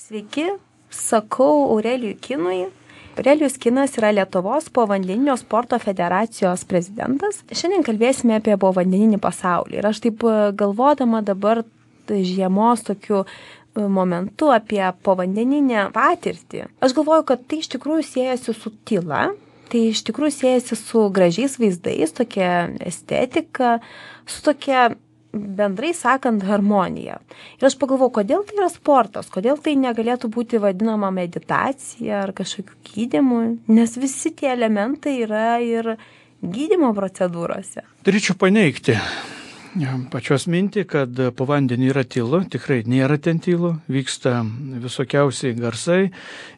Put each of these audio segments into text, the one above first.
Sveiki, sakau Aurelijui Kinui. Aurelijus Kinas yra Lietuvos povandeninio sporto federacijos prezidentas. Šiandien kalbėsime apie povandeninį pasaulį. Ir aš taip galvodama dabar žiemos tokiu momentu apie povandeninę patirtį. Aš galvoju, kad tai iš tikrųjų siejasi su tyla, tai iš tikrųjų siejasi su gražiais vaizdais, tokia estetika, su tokia bendrai sakant harmonija. Ir aš pagalvojau, kodėl tai yra sportas, kodėl tai negalėtų būti vadinama meditacija ar kažkokiu gydymu, nes visi tie elementai yra ir gydymo procedūrose. Turėčiau paneigti pačios mintį, kad po vandeniu yra tylu, tikrai nėra ten tylu, vyksta visokiausiai garsai.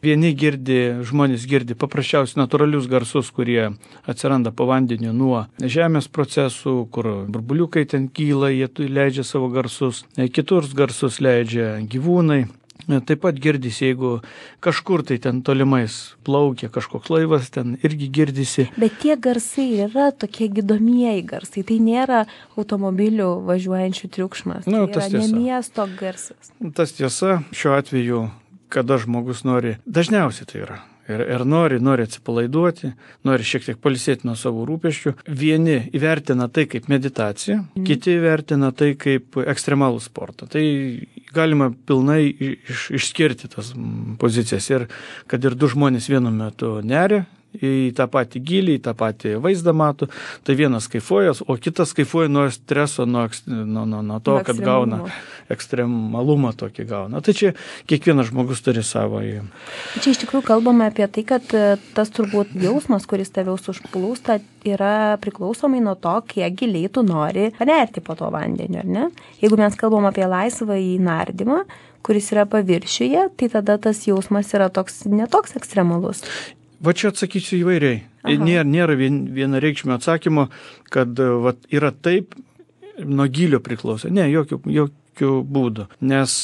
Žmonės girdi paprasčiausiai natūralius garsus, kurie atsiranda po vandeniu nuo žemės procesų, kur burbuliukai ten kyla, jie leidžia savo garsus, kitus garsus leidžia gyvūnai. Taip pat girdisi, jeigu kažkur tai ten tolimais plaukia kažkoks laivas, ten irgi girdisi. Bet tie garsai yra tokie gydomieji garsai, tai nėra automobilių važiuojančių triukšmas, tai yra ne miesto garsas. Tas tiesa, šiuo atveju, kada žmogus nori, dažniausiai tai yra. Ir nori atsipalaiduoti, nori šiek tiek pailsėti nuo savo rūpesčių. Vieni įvertina tai kaip meditaciją, kiti įvertina tai kaip ekstremalų sportą. Tai galima pilnai išskirti tas pozicijas. Ir kad ir du žmonės vienu metu neria į tą patį gylį, į tą patį vaizdą mato, tai vienas kaifuoja, o kitas kaifuoja nuo streso, nuo to, kad gauna ekstremalumą tokį gauna. Tai čia kiekvienas žmogus turi savo. Čia iš tikrųjų kalbame apie tai, kad tas turbūt jausmas, kuris tavęs užplūsta, yra priklausomai nuo to, kiek giliai tu nori panerti po to vandeniu, ar ne? Jeigu mes kalbam apie laisvąjį nardymą, kuris yra paviršiuje, tai tada tas jausmas yra netoks ekstremalus. Va čia atsakysiu įvairiai. Nėra vienareikšmio atsakymo, kad yra taip, nuo gylio priklauso. Ne, jokių būdų. Nes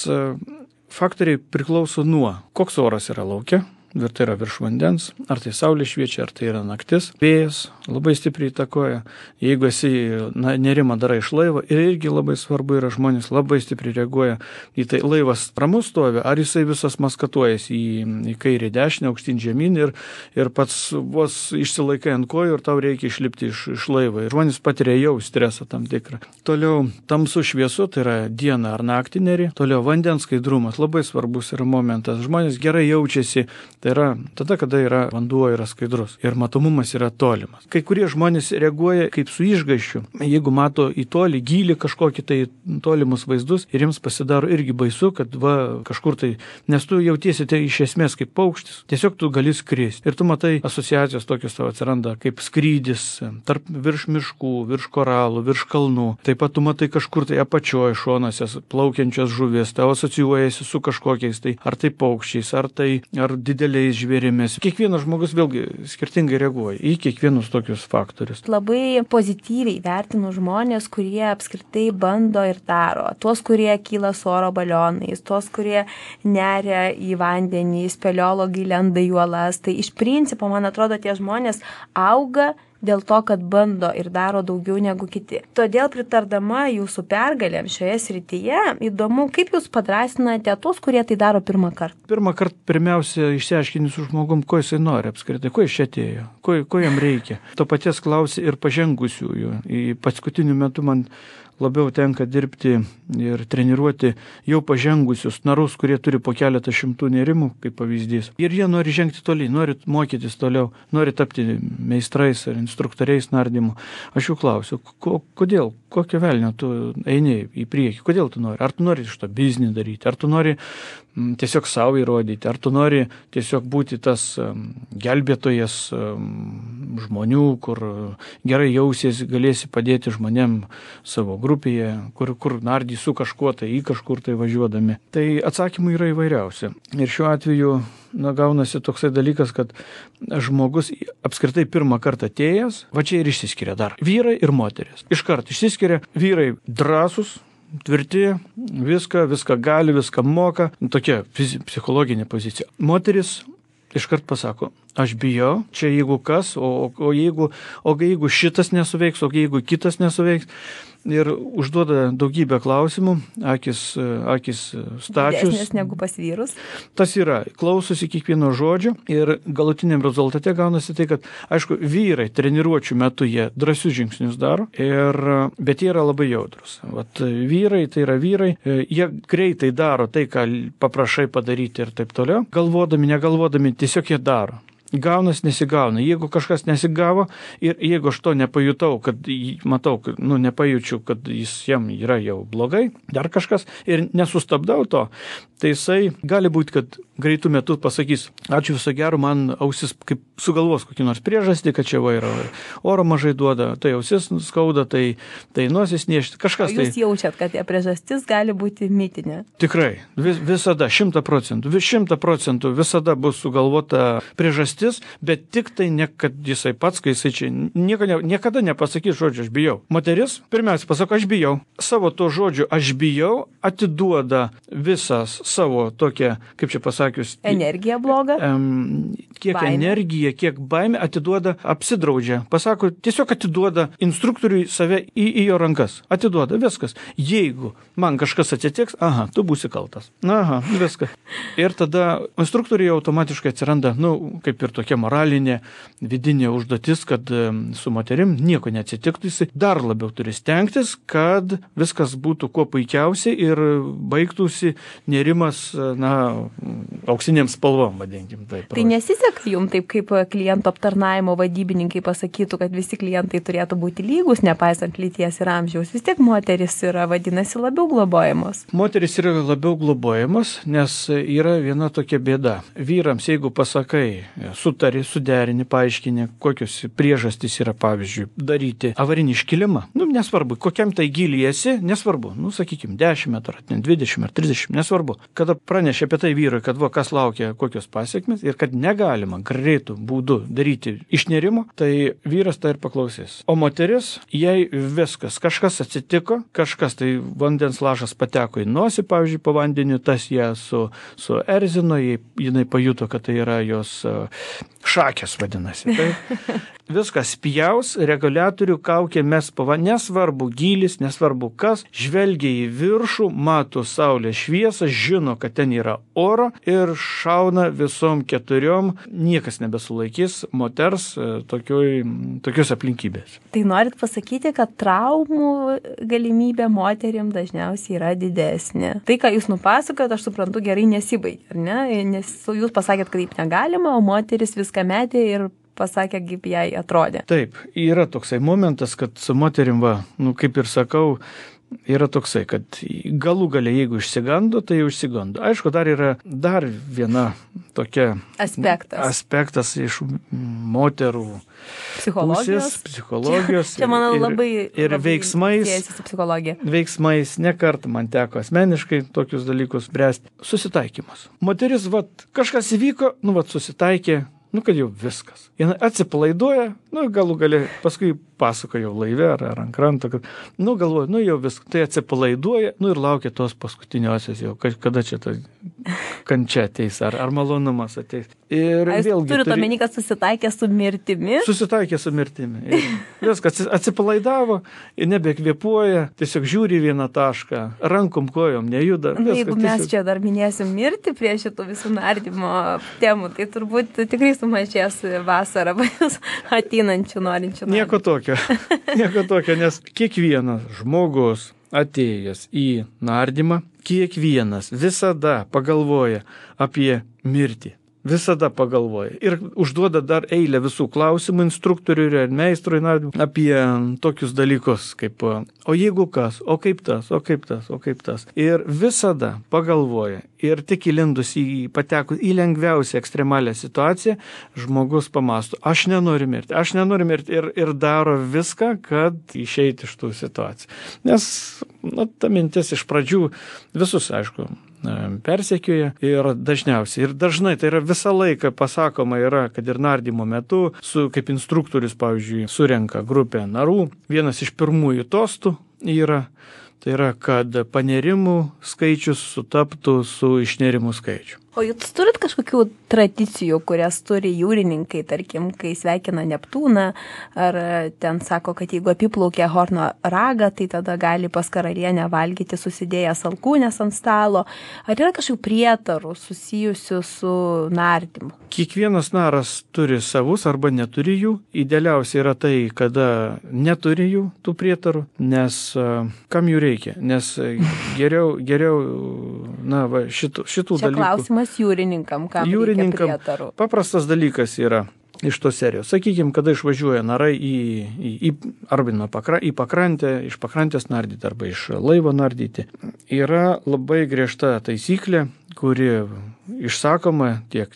faktoriai priklauso nuo, koks oras yra lauke, ar tai yra virš vandens, ar tai saulė šviečia, ar tai yra naktis. Vėjas labai stipriai įtakoja. Jeigu esi nerimą darai iš laivo, ir irgi labai svarbu yra, žmonės labai stipriai reaguoja į tai. Laivas ramus stovi, ar jisai visas maskatuojas į kairį dešinę, aukštyn žemyn ir pats vos išsilaikai ant kojų ir tau reikia išlipti iš laivo. Ir žmonės patiria jau stresą tam tikrą. Toliau tamsu šviesu, tai yra diena ar naktį neri. Toliau vandens skaidrumas, labai svarbus yra momentas. Žmonės gerai jaučiasi. Tai yra tada, kada vanduo yra skaidrus ir matomumas yra tolimas. Kai kurie žmonės reaguoja kaip su išgąsčiu. Jeigu mato į tolį, gylį kažkokį tai tolimus vaizdus ir jiems pasidaro irgi baisu, kad kažkur tai, nes tu jautiesi tai iš esmės kaip paukštis. Tiesiog tu gali skristi. Ir tu matai asociacijos tokios tavo atsiranda kaip skrydis virš miškų, virš koralų, virš kalnų. Taip pat tu matai kažkur tai apačioje šonuose plaukiančias žuvis. Tau asocijuojasi su kažkokiais tai ar tai paukščiais, ar dideliais žvėrimis. Kiekvienas žmogus vėlgi skirtingai reaguoja į kiekvienus tokius faktorius. Labai pozityviai vertinu žmonės, kurie apskritai bando ir daro. Tuos, kurie kyla su oro balionais, tuos, kurie neria į vandenį, speleologai lenda į uolas. Tai iš principo, man atrodo, tie žmonės auga dėl to, kad bando ir daro daugiau negu kiti. Todėl pritardama jūsų pergalėm šioje srityje, įdomu, kaip jūs padrąsinate tuos, kurie tai daro pirmą kartą. Pirmą kartą pirmiausia išsiaiškini su žmogum, ko jisai nori apskritai, ko jis čia atėjo, ko jam reikia. To paties klausi ir pažengusiųjų. Į paskutiniu metu man labiau tenka dirbti ir treniruoti jau pažengusius narus, kurie turi po keletą šimtų nerimų, kaip pavyzdys. Ir jie nori žengti toliau, nori mokytis toliau, nori tapti meistrais ar instruktoriais nardymu. Aš jų klausiu, kodėl, kokio velnio tu eini į priekį, kodėl tu nori? Ar tu nori iš to biznį daryti, ar tu nori tiesiog savo įrodyti, ar tu nori tiesiog būti tas gelbėtojas žmonių, kur gerai jausies, galėsi padėti žmonėm savo grupėje, kur nardys su kažkuo tai į kažkur tai važiuodami. Tai atsakymų yra įvairiausi. Ir šiuo atveju gaunasi toksai dalykas, kad žmogus apskritai pirmą kartą atėjęs, va čia ir išsiskiria dar. Vyrai ir moteris. Iškart išsiskiria vyrai drąsus, tvirti, viską gali, viską moka. Tokia psichologinė pozicija. Moteris iškart pasako, aš bijau, čia jeigu kas, o jeigu šitas nesuveiks, o jeigu kitas nesuveiks. ir užduoda daugybę klausimų, akis stačius. Didesnės negu pas vyrus. Tas yra, klausosi kiekvieno žodžio ir galutiniam rezultate gaunasi tai, kad, aišku, vyrai treniruočių metu jie drąsius žingsnius daro, bet jie yra labai jautrus. Vat vyrai, tai yra vyrai, jie greitai daro tai, ką paprašai padaryti ir taip toliau, galvodami, negalvodami, tiesiog jie daro. Gaunas, nesigauna. Jeigu kažkas nesigavo ir jeigu aš to nepajutau, kad matau, nepajaučiu, kad jam yra jau blogai, dar kažkas ir nesustabdau to, tai jisai gali būti, kad greitų metų pasakys, ačiū viso gero, man ausis kaip sugalvos kokį nors priežastį, kad čia yra oro mažai duoda, tai ausis skauda, tai nosis niešti, kažkas. O jūs jaučiat, kad tie priežastis gali būti mitinė? Tikrai, visada, 100%, 100% visada bus sugalvota priežastis, bet tik tai ne, kad jisai pats, kai jisai čia niekada nepasakys žodžio, aš bijau. Moteris, pirmiausia, pasako, aš bijau. Savo to žodžio, aš bijau, atiduoda visas savo tokią, kaip čia pasakius, energija bloga, kiek baimė. Energija, kiek baimė atiduoda, apsidraudžia. Pasako, tiesiog atiduoda instruktoriui save į jo rankas. Atiduoda, viskas. Jeigu man kažkas atsitiks, tu būsi kaltas. Viskas. Ir tada instruktoriui automatiškai atsiranda, kaip ir tokia moralinė, vidinė užduotis, kad su moterim nieko neatsitiktų, jis dar labiau turi stengtis, kad viskas būtų kuo puikiausiai ir baigtųsi nerimas, auksinėm spalvom, vadinkim. Tai nesiseka jums taip, kaip klientų aptarnaimo vadybininkai pasakytų, kad visi klientai turėtų būti lygus, nepaisant lyties ir amžiaus. Vis tiek moteris yra, vadinasi, labiau globojamos. Moteris yra labiau globojamos, nes yra viena tokia bėda. Vyrams, jeigu pasakai, sutari, suderini, paaiškini, kokios priežastys yra, pavyzdžiui, daryti avarinį iškilimą. Nesvarbu, kokiam tai giliesi, nesvarbu, sakykime, 10 metrų, 20 ar 30, nesvarbu. Kada pranešė apie tai vyrui, kad kas laukia, kokios pasiekmes ir kad negalima greitų būdų daryti išnėrimo, tai vyras tai ir paklausys. O moteris, jei viskas, kažkas atsitiko, kažkas tai vandens lašas pateko į nosį, pavyzdžiui, po vandeniu, tas ją suerzino, jinai pajuto, kad tai yra jos šakės, vadinasi. Tai viskas spjaus, reguliatorių kaukė mes nesvarbu gylis, nesvarbu kas, žvelgia į viršų, mato saulės šviesą, žino, kad ten yra oro ir šauna visom 4, niekas nebesulaikys moters tokios aplinkybės. Tai norit pasakyti, kad traumų galimybė moteriam dažniausiai yra didesnė. Tai, ką jūs nupasakojat, aš suprantu, gerai nesibaigia, ar ne? Nes jūs pasakėt, kad taip negalima, o moteris viską metė ir pasakė, kaip jai atrodė. Taip, yra toksai momentas, kad su moterim, kaip ir sakau, yra toksai, kad galų galia, jeigu išsigando, tai jau išsigando. Aišku, dar yra viena tokia aspektas iš moterų psichologijos čia man labai veiksmais. Veiksmais nekart man teko asmeniškai tokius dalykus spręsti. Susitaikymas. Moteris, kažkas įvyko, susitaikė, kad jau viskas. Jis atsipalaiduoja, galų galia, paskui pasako jau laive ar ant kranto, kad, galvoja, jau viskas. Tai atsipalaiduoja, ir laukia tos paskutiniosios jau, kada čia ta kančia ateis, ar malonumas ateis. Ir vėlgi turite omeny, kad susitaikė su mirtimi? Susitaikė su mirtimi. Ir viskas, atsipalaidavo, nebekvėpuoja, tiesiog žiūri vieną tašką, rankom, kojom nejuda. Jeigu mes čia dar minėsim mirtį prie šitų visų nardymo temų, tai turbūt tikrai sumažės vasarą ateinančių norinčių. Nieko tokio, nes kiekvienas žmogus atėjęs į nardymą, kiekvienas visada pagalvoja apie mirtį. Visada pagalvoja. Ir užduoda dar eilę visų klausimų instruktoriui ir meistrui apie tokius dalykus, kaip o jeigu kas, o kaip tas, o kaip tas, o kaip tas. Ir visada pagalvoja. Ir tik įlindus patekus į lengviausią ekstremalią situaciją, žmogus pamąsto, aš nenoriu mirti ir daro viską, kad išeiti iš tų situacijų. Nes ta mintis iš pradžių visus, aišku, persekioja ir dažniausiai. Ir dažnai tai yra visą laiką pasakoma yra, kad ir nardymo metu, kaip instruktorius, pavyzdžiui, surenka grupę narų, vienas iš pirmųjų tostų yra, tai yra, kad panerimų skaičius sutaptų su išnerimų skaičiu. O jūs turit kažkokių tradicijų, kurias turi jūrininkai, tarkim, kai sveikina Neptūną, ar ten sako, kad jeigu apiplaukia Horno ragą, tai tada gali pas karalienę valgyti susidėjęs alkūnės ant stalo. Ar yra kažkokių prietarų susijusių su nardymu? Kiekvienas naras turi savus arba neturi jų. Idealiausia yra tai, kada neturi jų tų prietarų, nes kam jų reikia? Nes geriau šitų dalykų. Čia klausimas jūrininkam, kam reikia prietarų. Paprastas dalykas yra iš tos serijos. Sakykime, kada išvažiuoja narai į pakrantę, iš pakrantės nardyti arba iš laivo nardyti, yra labai griežta taisyklė, kuri išsakoma tiek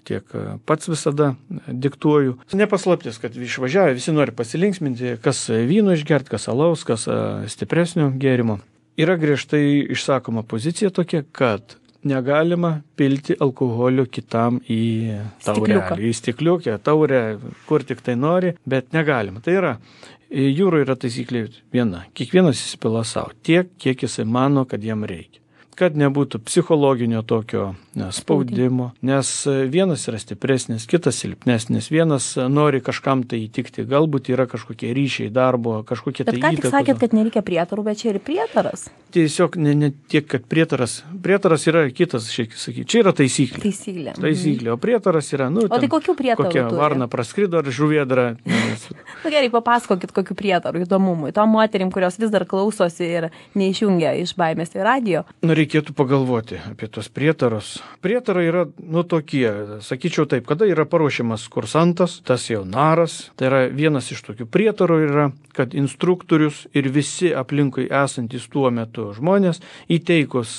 pats visada diktuoju. Nepaslaptis, kad išvažiavę visi nori pasilinksminti, kas vyno išgerti, kas alaus, kas stipresnio gėrimo. Yra griežtai išsakoma pozicija tokia, kad negalima pilti alkoholio kitam į taurelį, į stikliukę, taurę, kur tik tai nori, bet negalima. Tai yra, jūroje yra taisyklė viena. Kiekvienas įsipila savo tiek, kiek jisai mano, kad jam reikia. Kad nebūtų psichologinio tokio spaudimo, nes vienas yra stipresnis, kitas silpnesnis, vienas nori kažkam tai įtikti, galbūt yra kažkokie ryšiai darbo, kažkokie tai įtakos. Bet ką tik sakėt, kad nereikia prietarų, bet čia ir prietaras? Tiesiog ne tiek, kad prietaras yra kitas, sakyti, čia yra taisyklė. Taisyklė, o prietaras yra, o tai kokių prietarų kokia turi? Varna praskrido ar žuvėdra. Gerai, papasakokit kokių prietarų įdomumui. Tom moterim, kurios vis dar klausosi ir neišjungia iš baimės į radijo. Reikėtų pagalvoti apie tos prietarus. Prietarai yra, tokie, sakyčiau taip, kada yra paruošiamas kursantas, tas jau naras, tai yra vienas iš tokių prietarų yra, kad instruktorius ir visi aplinkui esantys tuo metu žmonės įteikus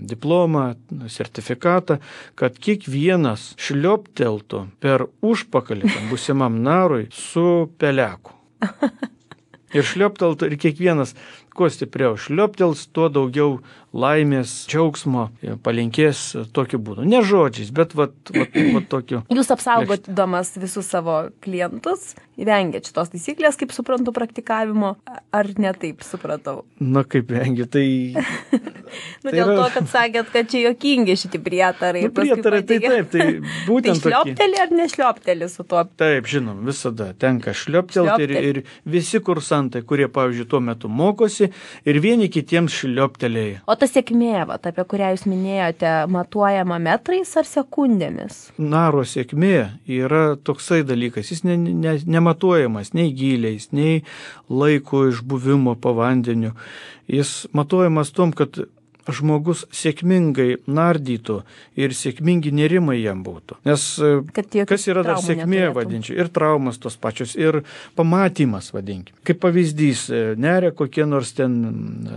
diplomą, sertifikatą, kad kiekvienas šliopteltų per užpakalį būsimam narui su peleku. Ir šliopteltų ir kiekvienas, kuo stipriau šlioptels, tuo daugiau laimės, džiaugsmo palinkės tokiu būdu. Ne žodžiais, bet tokiu. Jūs apsaugodamas visus savo klientus, vengiat šitos taisyklės, kaip suprantu, praktikavimo, ar ne taip supratau? Na, kaip vengia, tai... Dėl to, kad sakėt, kad čia juokingi šitie prietarai. Prietarai, tai taip, tai būtent tai šliopteli ar nešliopteli su tuo? Taip, žinom, visada tenka šlioptelti ir visi kursantai, kurie, pavyzdžiui, tuo metu mokosi ir vieni kitiems šlioptelėja. O ta sėkmė, apie kurią jūs minėjote, matuojama metrais ar sekundėmis? Naro sėkmė yra toksai dalykas, jis nematuojamas nei gyliais, nei laiko išbuvimo po vandeniu. Jis matuojamas tom, kad žmogus sėkmingai nardytų ir sėkmingi nerimai jam būtų. Nes kas yra dar sėkmė, vadinčiau, ir traumas tos pačios, ir pamatymas, vadinkim. Kaip pavyzdys, neria kokie nors ten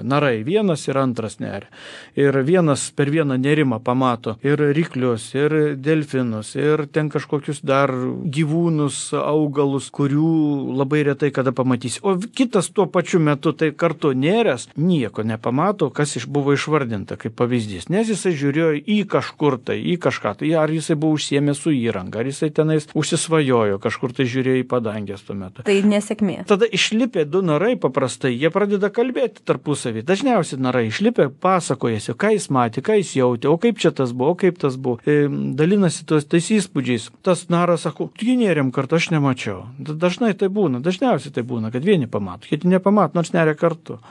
narai, vienas ir antras neria. Ir vienas per vieną nerimą pamato ir ryklius, ir delfinus, ir ten kažkokius dar gyvūnus, augalus, kurių labai retai kada pamatysi. O kitas tuo pačiu metu tai kartu neręs, nieko nepamato, kas buvo išvardinta kaip pavyzdys, nes jisai žiūrėjo į kažkur tai, į kažką tai, ar jisai buvo užsiėmęs su įranga, ar jisai tenais užsisvajojo, kažkur tai žiūrėjo į padangės tuo metu. Tai nesėkmė. Tada išlipę du narai paprastai, jie pradeda kalbėti tarpusavį. Dažniausiai narai išlipę pasakojasi, ką jis matė, ką jis jautė, o kaip čia tas buvo, o kaip tas buvo. Dalinasi tais įspūdžiais. Tas naras sako, tu nėrėm kartu, aš nemačiau. Dažnai tai būna, dažniausiai tai būna, kad vieni pamato, kiti nepamato, nors neria kartu.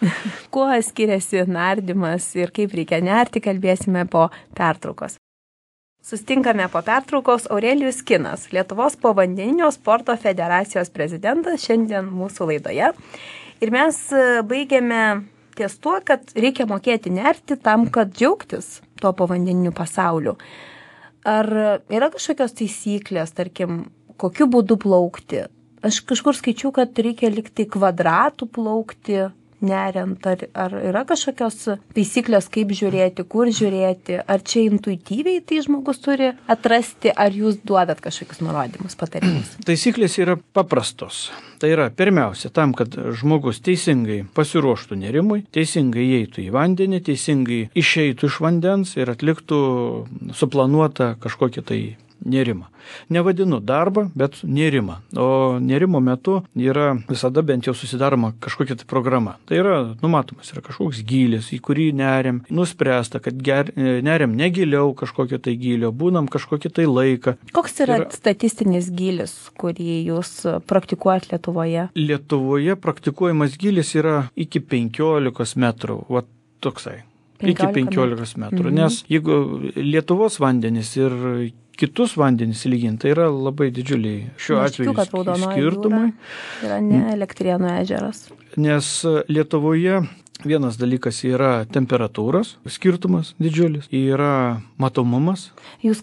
Kuo skiriasi nardymas ir kaip reikia nerti, kalbėsime po pertraukos. Sustinkame po pertraukos Aurelijus Kinas, Lietuvos povandeninio sporto federacijos prezidentas, šiandien mūsų laidoje. Ir mes baigėme ties tuo, kad reikia mokėti nerti tam, kad džiaugtis tuo povandeniniu pasauliu. Ar yra kažkokios taisyklės, tarkim, kokiu būdu plaukti? Aš kažkur skaičiau, kad reikia likti kvadratų plaukti, neriant, ar yra kažkokios taisyklės, kaip žiūrėti, kur žiūrėti, ar čia intuityviai tai žmogus turi atrasti, ar jūs duodat kažkokius nurodymus, patarimus? Taisyklės yra paprastos. Tai yra pirmiausia tam, kad žmogus teisingai pasiruoštų nerimui, teisingai įeitų į vandenį, teisingai išeitų iš vandens ir atliktų suplanuotą kažkokį tai nerimą. Nevadinu darbą, bet nerimą. O nerimo metu yra visada bent jau susidaroma kažkokia tai programa. Tai yra numatomas, yra kažkoks gylis, į kurį neriam, nuspręsta, kad neriam negiliau kažkokio tai gylio, būnam kažkokį tai laiką. Koks yra statistinis gylis, kurį jūs praktikuojat Lietuvoje? Lietuvoje praktikuojamas gylis yra iki 15 metrų. Va toksai. Iki 15 metrų. Nes jeigu Lietuvos vandenys ir kitus vandenys lyginti, tai yra labai didžiuliai šiuo atveju skirtumai. Yra ne Elektrėnų ežeras. Nes Lietuvoje vienas dalykas yra temperatūros skirtumas didžiulis, yra matomumas. Aš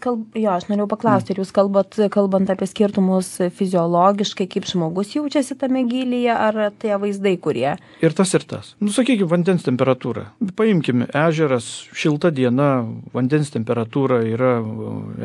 norėjau paklausti, ar jūs kalbant apie skirtumus fiziologiškai, kaip žmogus jaučiasi tame gylyje, ar tie vaizdai, kurie? Ir tas. Sakykime, vandens temperatūra. Paimkime ežeras, šilta diena, vandens temperatūra yra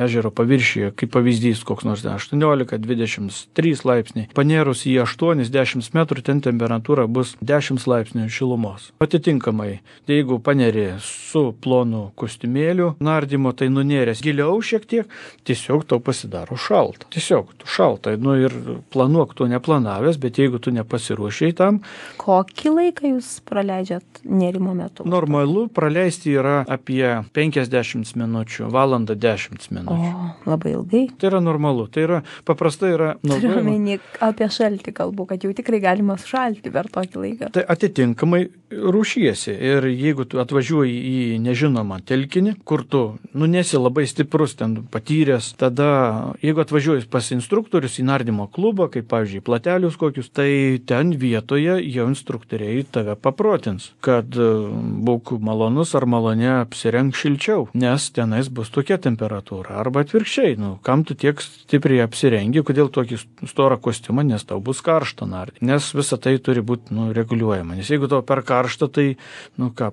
ežero paviršiuje, kaip pavyzdys, koks nors 18-23 laipsniai. Panėrus į 8-10 metrų, ten temperatūra bus 10 laipsnių šilumos. Atitinkamai, jeigu paneri su plonu kostiumėliu nardymo, tai nunėręs giliau šiek tiek, tiesiog tau pasidaro šalta. Tiesiog tu šalta. Ir planuok tu neplanavęs, bet jeigu tu nepasiruošiai tam. Kokį laiką jūs praleidžiat nerimo metu? Normalu praleisti yra apie 50 minučių, valandą 10 minučių. O, labai ilgai. Tai yra normalu. Tai yra paprastai yra naudojama. Turiu omeny apie šaltį kalbu, kad jau tikrai galima sušalti per tokį laiką. Tai atitinkamai rūšiesi. Ir jeigu tu atvažiuoji į nežinomą telkinį, kur tu nesi labai stiprus, ten patyręs, tada jeigu atvažiuoji pas instruktorius į nardymo klubą, kaip pavyzdžiui platelius kokius, tai ten vietoje jau instruktoriai tave paprotins, kad būk malonus ar malonė apsirenk šilčiau, nes tenais bus tokia temperatūra. Arba atvirkščiai, kam tu tiek stipriai apsirengi, kodėl tokį storą kostiumą, nes tau bus karšta nardyti. Nes visa tai turi būti reguliuojama. Nes jeigu tau per karšta, tai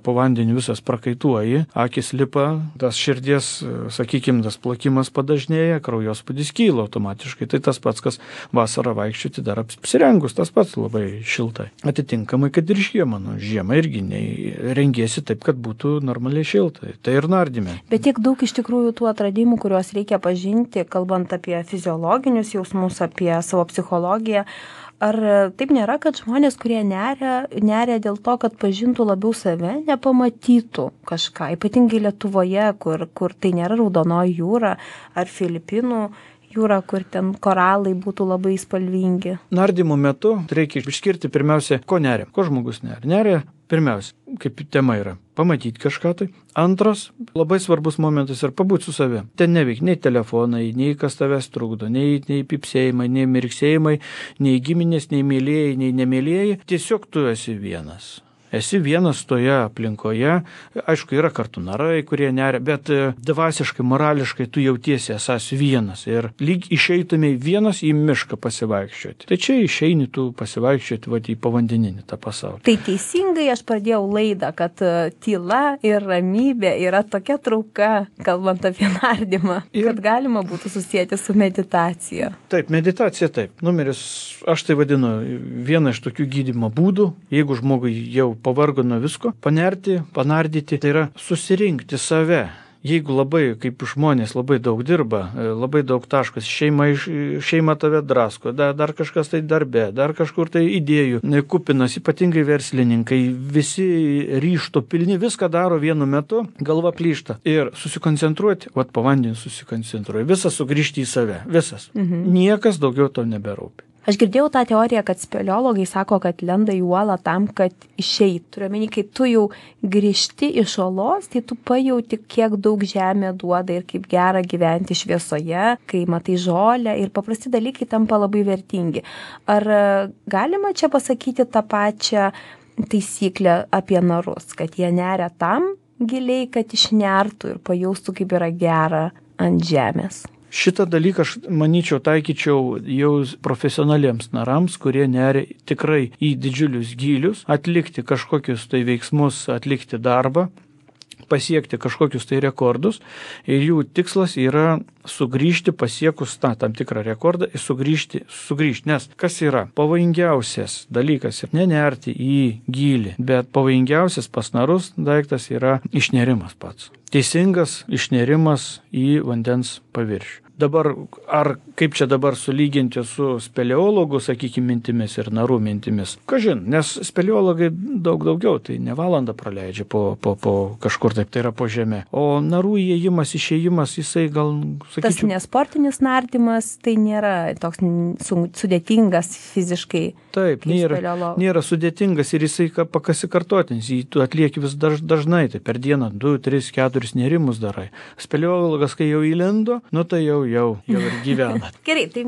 po vandeniu visas prakaituoji, akis lipa, tas širdies, sakykime, tas plakimas padažnėja, kraujospūdis kyla automatiškai. Tai tas pats, kas vasarą vaikščioti dar apsirengus, tas pats labai šiltai. Atitinkamai, kad ir žiemą irgi rengiesi taip, kad būtų normaliai šiltai. Tai ir nardyme. Bet tiek daug iš tikrųjų tų atradimų, kuriuos reikia pažinti, kalbant apie fiziologinius jausmus, apie savo psichologiją. Ar taip nėra, kad žmonės, kurie neria dėl to, kad pažintų labiau save, nepamatytų kažką, ypatingai Lietuvoje, kur tai nėra Raudonoji jūra ar Filipinų jūra, kur ten koralai būtų labai spalvingi? Nardymo metu reikia išskirti pirmiausia, ko neria, ko žmogus neria. Neria pirmiausia, kaip tema yra, pamatyti kažką tai. Antras, labai svarbus momentas yra pabūti su savimi. Ten neveik nei telefonai, nei kas tavęs trukdo, nei pipsėjimai, nei mirksėjimai, nei giminės, nei mėlėjai, nei nemėlėjai. Tiesiog tu esi vienas. Esi vienas toje aplinkoje, aišku, yra kartu narai, kurie neria, bet dvasiškai, morališkai tu jautiesi esas vienas ir lyg išeitumai vienas į mišką pasivaikščioti. Tai čia išeini tu pasivaikščioti į povandeninį tą pasaulį. Tai teisingai aš pradėjau laidą, kad tyla ir ramybė yra tokia trauka, kalbant apie nardymą, kad galima būtų susijęti su meditacija. Taip, meditacija taip. Numeris, aš tai vadinu, vieną iš tokių gydymo būdų, jeigu žmogui jau pavargo nuo visko, panerti, panardyti, tai yra susirinkti save. Jeigu labai, kaip žmonės labai daug dirba, labai daug taškas, šeima tave drasko, dar kažkas tai darbe, dar kažkur tai idėjų kupinas, ypatingai verslininkai, visi ryžto pilni, viską daro vienu metu, galva plyšta. Ir susikoncentruoti, po vandeniu susikoncentruoti, visas sugrįžti į save, visas. Niekas daugiau to neberūpi. Aš girdėjau tą teoriją, kad speleologai sako, kad lenda į uolą tam, kad išeitų. Turiu omeny, kai tu jau grįžti iš uolos, tai tu pajauti, kiek daug žemė duoda ir kaip gera gyventi šviesoje, kai matai žolę ir paprasti dalykai tampa labai vertingi. Ar galima čia pasakyti tą pačią taisyklę apie narus, kad jie neria tam giliai, kad išnertų ir pajaustų, kaip yra gera ant žemės? Šitą dalyką aš manyčiau taikyčiau jau profesionaliems narams, kurie neria tikrai į didžiulius gylius, atlikti kažkokius tai veiksmus, atlikti darbą, pasiekti kažkokius tai rekordus ir jų tikslas yra sugrįžti pasiekus tam tikrą rekordą ir sugrįžti. Nes kas yra pavojingiausias dalykas ir nenerti į gylį, bet pavojingiausias pas narus daiktas yra išnerimas pats. Teisingas išnerimas į vandens paviršių. Dabar, ar kaip čia dabar sulyginti su speleologų, sakykime, mintimis ir narų mintimis? Kažin, nes speleologai daug daugiau, tai ne valandą praleidžia po kažkur taip, tai yra po žemė. O narų įėjimas, išėjimas, jisai gal, sakyčiau... Tas nesportinis nardymas, tai nėra toks sudėtingas fiziškai. Taip, nėra sudėtingas ir jisai pasikartotinis, jį tu atlieki vis dažnai, tai per dieną 2, 3, 4 nerimus darai. Speleologas, kai jau įlindo, nu tai jau ir gyvena. Gerai, tai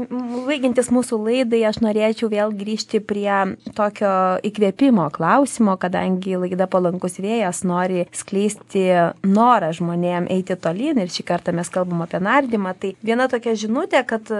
baigiantis mūsų laidai, aš norėčiau vėl grįžti prie tokio įkvėpimo klausimo, kadangi laida Palankus vėjas nori skleisti norą žmonėm eiti tolyn ir šį kartą mes kalbam apie nardymą. Tai viena tokia žinutė, kad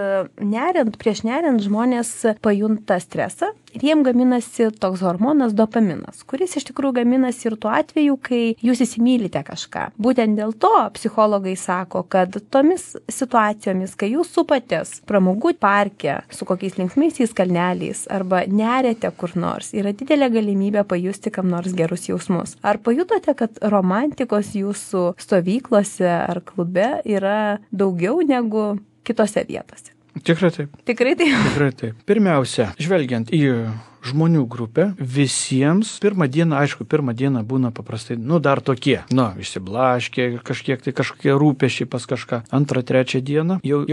prieš neriant žmonės pajunta stresą ir jiem gaminasi toks hormonas dopaminas, kuris iš tikrųjų gaminasi ir tuo atveju, kai jūs įsimylite kažką. Būtent dėl to psichologai sako, kad tomis situacijomis, kai jūs supatės pramogų parke su kokiais linksmaisiais kalneliais arba neriate kur nors, yra didelė galimybė pajusti kam nors gerus jausmus. Ar pajutote, kad romantikos jūsų stovyklose ar klube yra daugiau negu kitose vietose? Tikrai taip. Tikrai taip. Tikrai taip. Pirmiausia, žvelgiant į žmonių grupę, visiems pirmą dieną būna paprastai, dar tokie, išsiblaškė kažkokie rūpesčiai pas kažką. Antrą, trečią dieną jau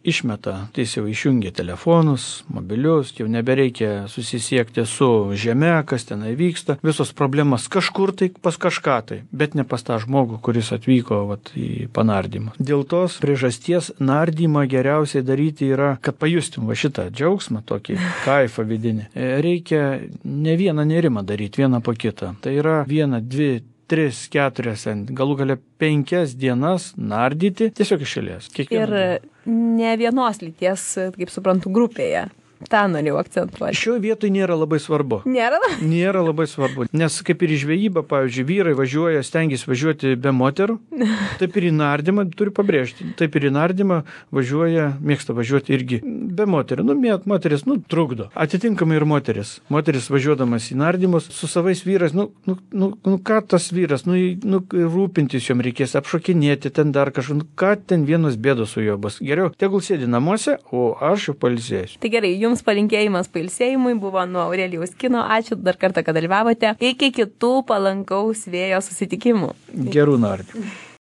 išmeta, tai jau išjungia telefonus, mobilius, jau nebereikia susisiekti su žeme, kas tenai vyksta, visos problemas kažkur tai pas kažką tai, bet ne pas tą žmogų, kuris atvyko į panardymą. Dėl tos priežasties nardymą geriausiai daryti yra, kad pajustum šitą džiaugsmą, tokį kaifą vidinį. Reikia ne vieną nerimą daryti, vieną po kitą. Tai yra 1, 2, 3, 4, galų gale 5 dienas nardyti tiesiog iš eilės. Ir ne vienos lyties, kaip suprantu, grupėje. tą norėjau akcentuoti. Šioje vietoje nėra labai svarbu. Nėra? Nėra labai svarbu. Nes kaip ir į žvejybą, pavyzdžiui, vyrai važiuoja, stengiasi važiuoti be moterų, taip ir į nardymą, turiu pabrėžti, taip ir į nardymą važiuoja, mėgsta važiuoti irgi be moterų. Moteris, trukdo. Atitinkamai ir moteris. Moteris važiuodamas į nardymus su savais vyrais, ką tas vyras, rūpintis jom reikės, apšokinėti ten dar kažką, ką ten vienos bėdos su juo bus. Geriau, tegul sėdi namuose, o aš jau pailsėsiu. Tai gerai, jums palinkėjimas pailsėjimui buvo nuo Aurelijaus Kino. Ačiū dar kartą, kad dalyvavote. Iki kitų palankaus vėjo susitikimų. Gerų nardymų.